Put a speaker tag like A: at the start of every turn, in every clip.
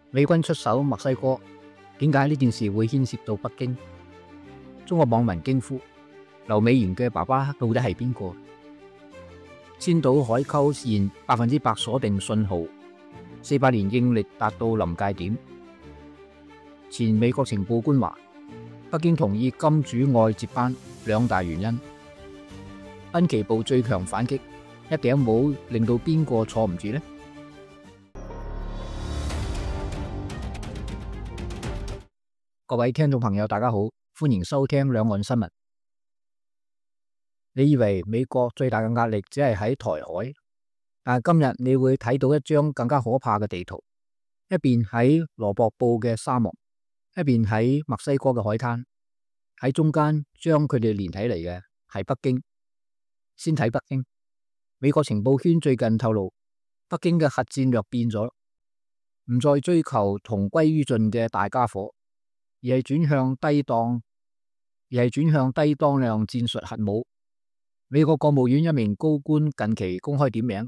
A: 美軍出手墨西哥，點解呢件事會牽涉到北京？中國網民驚呼：劉美賢嘅爸爸到底係邊個？千島海溝線100%鎖定信號，400年應力達到臨界點。前美國情報官話，北京同意金主外接班2大原因。濱崎步最強反擊，一頂帽令到邊個坐唔住呢？各位聽眾朋友，大家好，歡迎收聽兩岸新聞。你以為美國最大嘅壓力只係喺台海，但係今日你會睇到一張更加可怕嘅地圖，一邊喺羅博布嘅沙漠，一邊喺墨西哥嘅海灘，喺中間將佢哋連起嚟嘅係北京。先睇北京，美國情報圈最近透露，北京嘅核戰略變咗，唔再追求同歸於盡嘅大家伙，而係轉向低當量戰術核武。美國國務院一名高官近期公開點名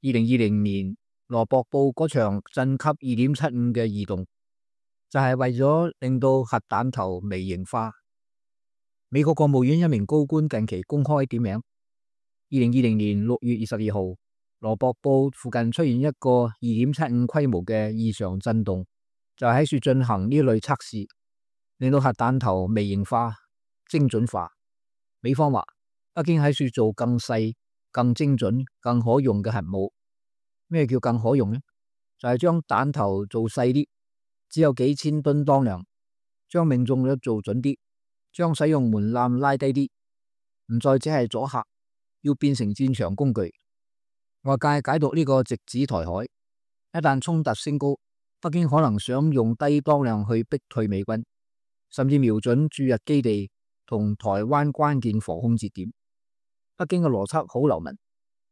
A: ，2020年羅博布嗰場震級2.75嘅異動，就係為咗令到核彈頭微型化。美國國務院一名高官近期公開點名，2020年6月22號，羅博布附近出現一個2.75規模嘅異常震動，就喺處進行呢類測試，令到核彈頭微型化、精準化。美方話，北京喺處做更細、更精準、更可用嘅核武。咩叫更可用呢？就係將彈頭做細啲，只有幾千噸當量，將命中率做準啲，將使用門檻拉低啲，唔再只係阻嚇，要變成戰場工具。外界解讀呢個直指台海，一旦衝突升高，北京可能想用低當量去逼退美軍，甚至瞄準駐日基地同台灣關鍵防空節點。北京嘅邏輯好流氓，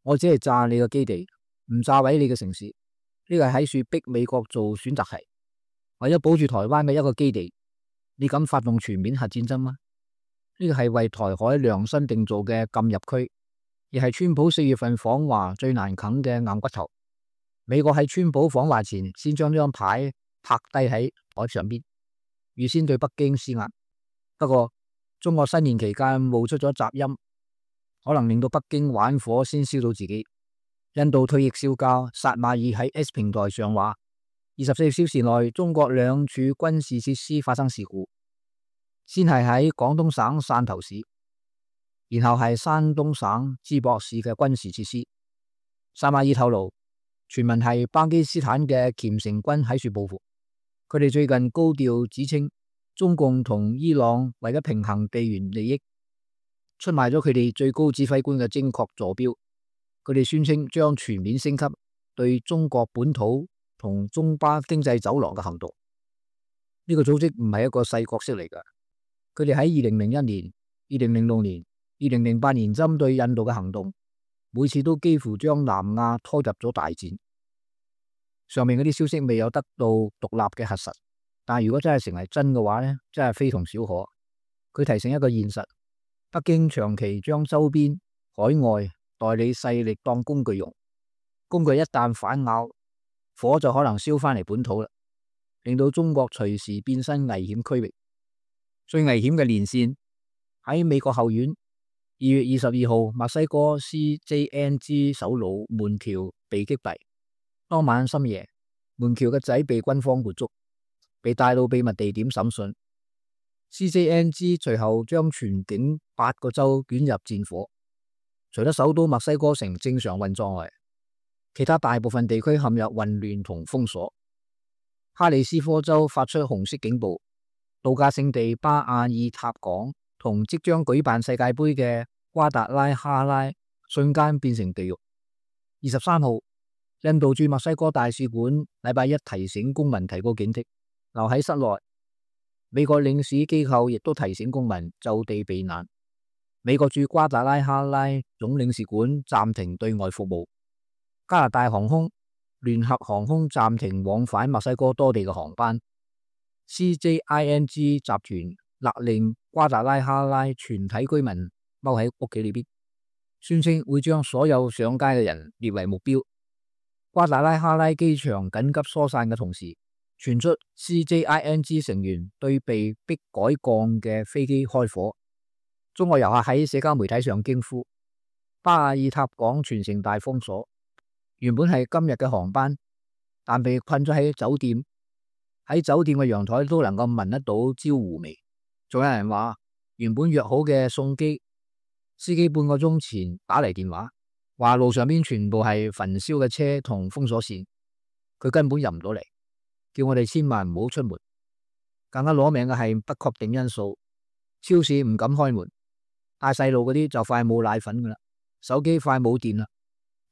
A: 我只係炸你個基地，唔炸毀你嘅城市。呢個係喺處逼美國做選擇題，為咗保住台灣嘅一個基地，你敢發動全面核戰爭嗎？呢個係為台海量身定做嘅禁入區，而係川普4月份訪華最難啃嘅硬骨頭。美國喺川普訪華前先將呢張牌拍低喺台上邊，預先對北京施壓。不過中國新年期間冒出咗雜音，可能令到北京玩火先燒到自己。印度退役少校薩馬爾喺 X 平台上話，24小時內中國2處軍事設施發生事故，先係喺廣東省汕頭市，然後係山東省淄博市嘅軍事設施。薩馬爾透露，傳聞係巴基斯坦嘅虔誠軍喺處報復。佢哋最近高調指稱，中共同伊朗為咗平衡地緣利益，出賣咗佢哋最高指揮官嘅精確坐標。佢哋宣稱將全面升級對中國本土同中巴經濟走廊嘅行動。呢個組織唔係一個細角色嚟㗎，佢哋喺2001年、2006年、2008年針對印度嘅行動，每次都幾乎將南亞拖入咗大戰。上面嗰啲消息未有得到獨立嘅核實，但係如果真係成為真嘅話呢，真係非同小可。佢提醒一個現實，北京長期將周邊海外代理勢力當工具用，工具一旦反咬，火就可能燒翻嚟本土啦，令到中國隨時變身危險區域。最危險嘅連線喺美國後院，2月22號，墨西哥 CJNG 首腦門橋被擊斃。當晚深夜，門橋嘅仔被軍方活捉，被帶到秘密地點審訊。CJNG 隨後將全境8個州捲入戰火。除咗首都墨西哥城正常運作外，其他大部分地區陷入混亂同封鎖。哈里斯科州發出紅色警報，度假勝地巴亞爾塔港同即將舉辦世界盃嘅瓜達拉哈拉瞬間變成地獄。23號，印度駐墨西哥大使館禮拜一提醒公民提高警惕，留喺室內。美國領事機構亦都提醒公民就地避難。美國駐瓜達拉哈拉總領事館暫停對外服務。加拿大航空、聯合航空暫停往返墨西哥多地嘅航班。CJING 集團勒令瓜達拉哈拉全體居民踎喺屋企裏邊，宣稱會將所有上街嘅人列為目標。瓜達拉哈拉機場緊急疏散嘅同時，傳出 CJING 成員對被迫改降嘅飛機開火。中國遊客喺社交媒體上驚呼：巴爾塔港全城大封鎖，原本係今日嘅航班，但被困咗喺酒店。喺酒店嘅陽台都能夠聞得到焦糊味。仲有人話，原本約好嘅送機司機半個鐘前打嚟電話，話路上邊全部係焚燒嘅車同封鎖線，佢根本入唔到嚟，叫我哋千萬唔好出門。更加攞命嘅係不確定因素，超市唔敢開門，帶細路嗰啲就快冇奶粉噶啦，手機快冇電啦。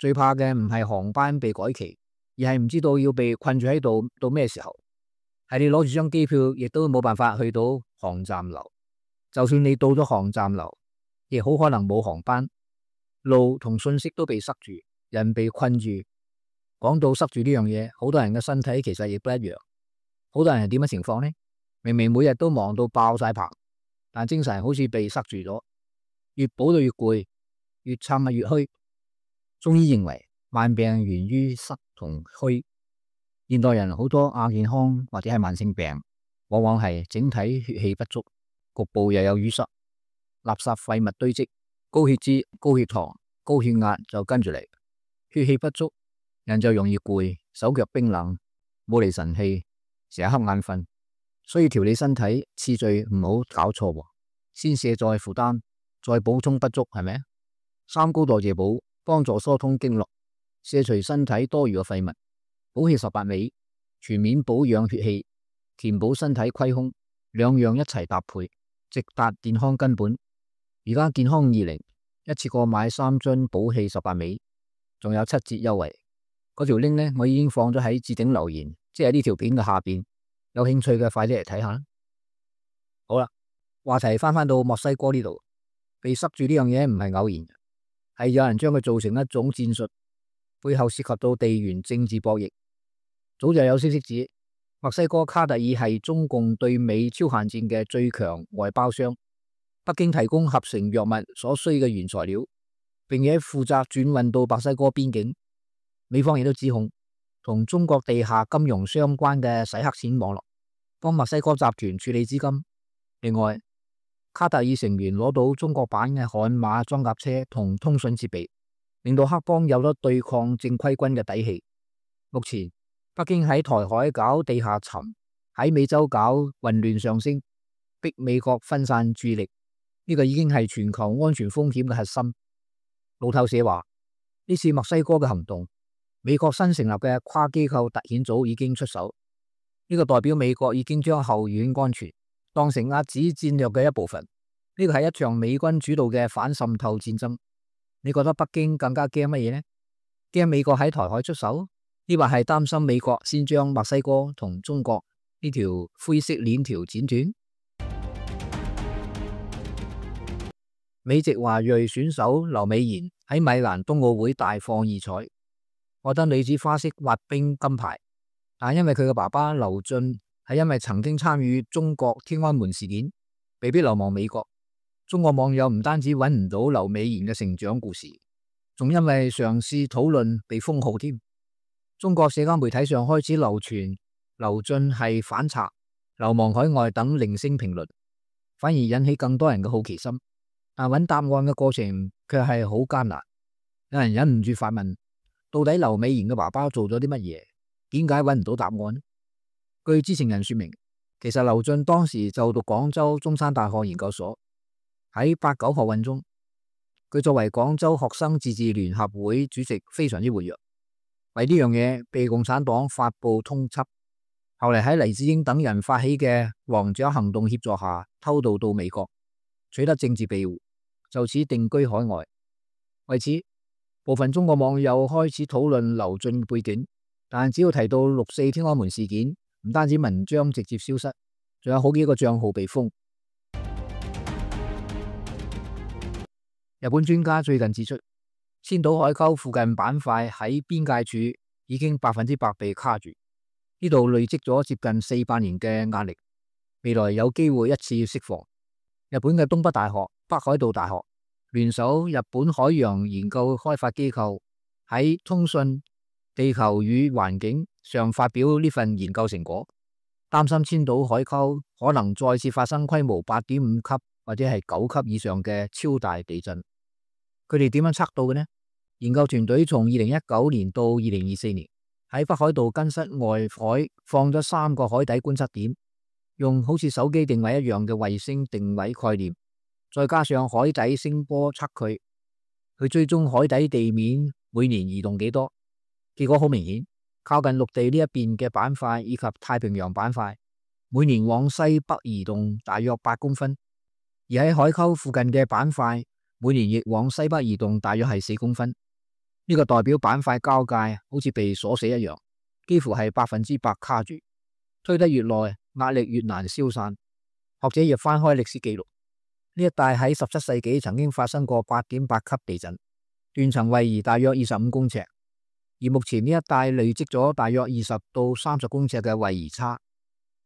A: 最怕嘅唔係航班被改期，而係唔知道要被困住喺度到咩時候。係你攞住張機票，亦都冇辦法去到航站樓。就算你到咗航站樓，亦好可能冇航班，路同信息都被塞住，人被困住。講到塞住呢樣嘢，好多人嘅身體其實亦都一樣。好多人係點嘅情況呢？明明每日都忙到爆晒棚，但精神好似被塞住咗，越補到越攰，越撐越虛。中醫認為慢病源於塞同虛。現代人好多亞健康或者係慢性病，往往係整體血氣不足，局部又有淤塞，垃圾廢物堆積，高血脂、高血糖、高血壓就跟住嚟。血氣不足，人就容易攰，手腳冰冷，冇嚟神氣，成日瞌眼瞓。所以調理身體次序唔好搞錯，先卸載負擔，再補充不足，係咪？三高代謝補幫助疏通經絡，卸除身體多餘嘅廢物。補氣18味，全面保養血氣，填補身體虧空，兩樣一齊搭配，直達健康根本。而家健康20一次過買3樽補氣18味，仲有7折優惠。嗰條 link 呢，我已經放咗喺置頂留言，即係呢條片嘅下邊。有興趣嘅快啲嚟睇下啦。好啦，話題翻到墨西哥呢度，被塞住呢樣嘢唔係偶然，係有人將佢做成一種戰術，背後涉及到地緣政治博弈。早就有消息指，墨西哥卡特爾係中共對美超限戰嘅最強外包商，北京提供合成藥物所需嘅原材料，並且負責轉運到墨西哥邊境。美方亦都指控同中國地下金融相關嘅洗黑錢網絡，幫墨西哥集團處理資金。另外，卡特爾成員攞到中國版嘅悍馬裝甲車同通訊設備，令到黑幫有咗對抗正規軍嘅底氣。目前，北京喺台海搞地下沉，喺美洲搞混亂上升，逼美國分散注意力，呢個已經係全球安全風險嘅核心。路透社話，呢次墨西哥嘅行動，美國新成立嘅跨機構特遣組已經出手，呢個代表美國已經將後院安全當成壓止戰略嘅一部分。呢個係一場美軍主導嘅反滲透戰爭。你覺得北京更加驚乜嘢呢？驚美國喺台海出手？抑或係擔心美國先將墨西哥同中國呢條灰色鏈條剪斷？美籍華裔選手劉美妍喺米蘭冬奧會大放異彩，獲得女子花式滑冰金牌。但因為佢嘅爸爸劉俊係因為曾經參與中國天安門事件，被迫流亡美國。中國網友唔單止揾唔到劉美妍嘅成長故事，仲因為嘗試討論被封號添。中國社交媒體上開始流傳劉俊係反賊、流亡海外等零星評論，反而引起更多人嘅好奇心。但揾答案嘅過程卻係好艱難。有人忍唔住發問：到底劉美妍嘅爸爸做咗啲乜嘢？點解揾唔到答案？據知情人說明，其實劉俊當時就讀廣州中山大學研究所，喺8、9學運中，佢作為廣州學生自治聯合會主席非常之活躍。為呢樣嘢被共產黨發布通緝，後嚟喺黎智英等人發起嘅王者行動協助下，偷渡到美國，取得政治庇護，就此定居海外。為此，部分中國網友開始討論劉俊背景，但只要提到6·4天安門事件，唔單止文章直接消失，仲有好幾個賬號被封。日本專家最近指出，千島海溝附近板塊喺邊界處已經100%被卡住，呢度累積咗接近400年嘅壓力，未來有機會一次釋放。日本嘅東北大學、北海道大學聯手日本海洋研究開發機構喺通訊地球與環境上發表呢份研究成果，擔心千島海溝可能再次發生規模8.5級或者係9級以上嘅超大地震。佢哋點樣測到嘅呢？研究團隊從2019年到2024年喺北海道根室外海放咗3個海底觀測點，用好似手機定位一樣嘅衛星定位概念，再加上海底聲波測距，去追蹤海底地面每年移動幾多。結果好明顯，靠近陸地呢一邊嘅板塊以及太平洋板塊每年往西北移動大約8公分，而喺海溝附近嘅板塊每年亦往西北移動大約係4公分。呢個代表板塊交界好似被鎖死一樣，幾乎係100%卡住。推得越耐，壓力越難消散。學者亦翻開歷史記錄，呢一帶喺17世紀曾經發生過8.8級地震，斷層位移大約25公尺，而目前呢一帶累積咗大約20到30公尺嘅位移差。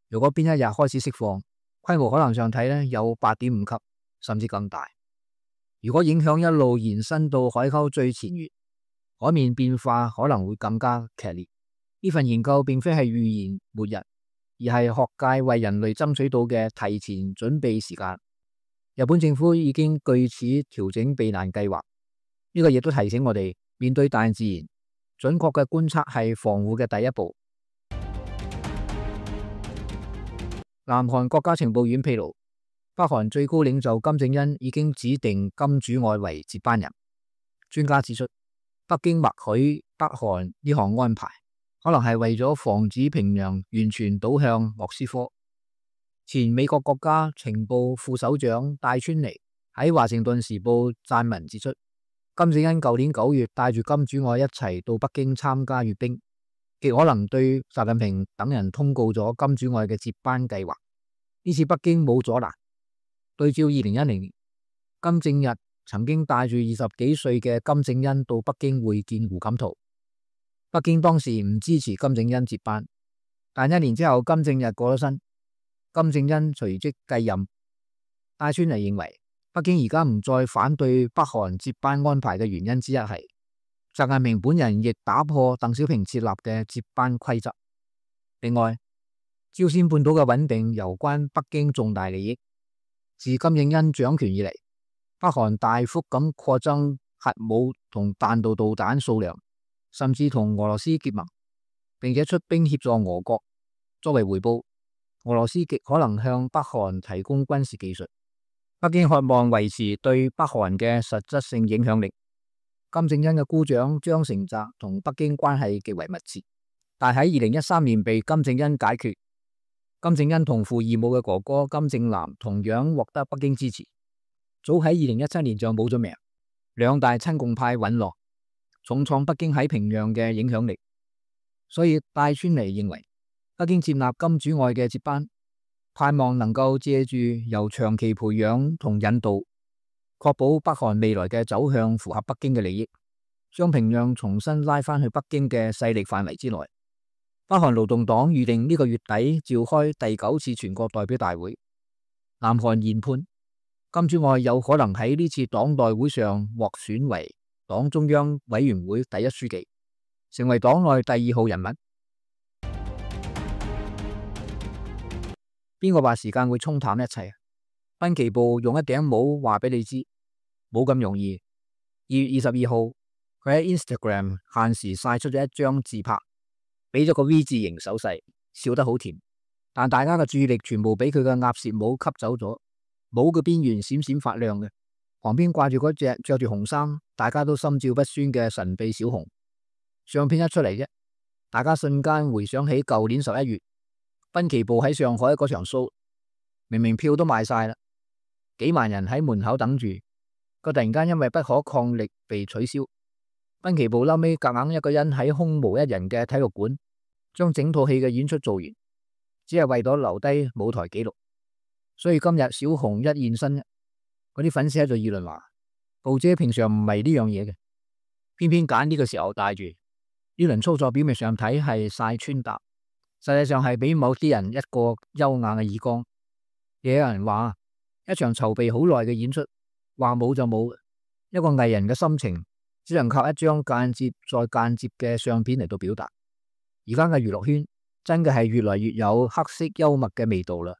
A: 如果邊一日開始釋放，規模可能上睇呢有8.5級，甚至更大。如果影響一路延伸到海溝最前緣，海面變化可能會更加劇烈。呢份研究並非係預言末日，而係學界為人類爭取到嘅提前準備時間。日本政府已經據此調整避難計劃。呢個亦都提醒我哋，面對大自然，準確嘅觀測係防護嘅第一步。南韓國家情報院披露，北韓最高領袖金正恩已經指定金主愛為接班人。專家指出，北京默許北韓呢項安排，可能係為咗防止平壤完全倒向莫斯科。前美國國家情報副首長戴川尼喺華盛頓時報撰文指出，金正恩舊年9月帶住金主愛一齊到北京參加閱兵，極可能對習近平等人通告咗金主愛嘅接班計劃。呢次北京冇阻攔。對照2010年，金正日曾經帶住20幾歲嘅金正恩到北京會見胡錦濤，北京當時唔支持金正恩接班，但1年之後金正日過咗身，金正恩隨即繼任。戴川尼認為，北京而家唔再反對北韓接班安排嘅原因之一係，習近平本人亦打破鄧小平設立嘅接班規則。另外，朝鮮半島嘅穩定攸關北京重大利益。自金正恩掌權以嚟，北韓大幅咁擴增核武同彈道導彈數量，甚至同俄羅斯結盟，並且出兵協助俄國。作為回報，俄羅斯極可能向北韓提供軍事技術。北京渴望維持對北韓嘅實質性影響力。金正恩嘅姑丈張成澤同北京關係極為密切，但喺2013年被金正恩解決。金正恩同父異母嘅哥哥金正男同樣獲得北京支持，早喺2017年就冇咗命。兩大親共派隕落，重創北京喺平壤嘅影響力。所以戴川尼認為，北京接納金主愛嘅接班，盼望能夠借住由長期培養同引導，確保北韓未來嘅走向符合北京嘅利益，將平壤重新拉返去北京嘅勢力範圍之內。北韓勞動黨預定呢個月底召開第9次全國代表大會。南韓研判，金主愛有可能喺呢次黨代會上獲選為黨中央委員會第1書記，成為黨內第2號人物。邊個話時間會沖淡一切？濱崎步用一頂帽話俾你知，冇咁容易。2月22號，佢喺 Instagram 限時晒出咗一張自拍，俾咗個 V 字形手勢，笑得好甜。但大家嘅注意力全部俾佢嘅鴨舌帽吸走咗，帽嘅邊緣閃閃發亮嘅，旁邊掛住嗰隻着住紅衫，大家都心照不宣嘅神秘小熊。相片一出嚟啫，大家瞬間回想起舊年11月，濱崎步喺上海嗰場 show， 明明票都賣晒啦，幾萬人喺門口等住，佢突然間因為不可抗力被取消。濱崎步後尾夾硬一個人喺空無一人嘅體育館，將整套戲嘅演出做完，只係為咗留低舞台紀錄。所以今日小熊一現身，嗰啲粉絲喺度議論話，步姐平常唔係呢樣嘢嘅，偏偏揀呢個時候帶住。呢輪操作表面上睇係晒穿搭，實際上係俾某啲人一個優雅嘅耳光。亦有人話，一場籌備好耐嘅演出，話冇就冇，一個藝人嘅心情只能靠一張間接再間接嘅相片嚟到表達。而家嘅娛樂圈真嘅係越嚟越有黑色幽默嘅味道啦。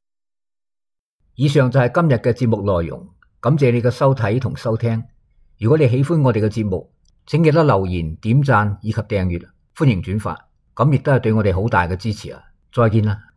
A: 以上就係今日嘅節目內容，感謝你嘅收睇同收聽。如果你喜歡我哋嘅節目，請記得留言、點讚以及訂閱，歡迎轉發，咁亦都係對我哋好大嘅支持啊！再見啦。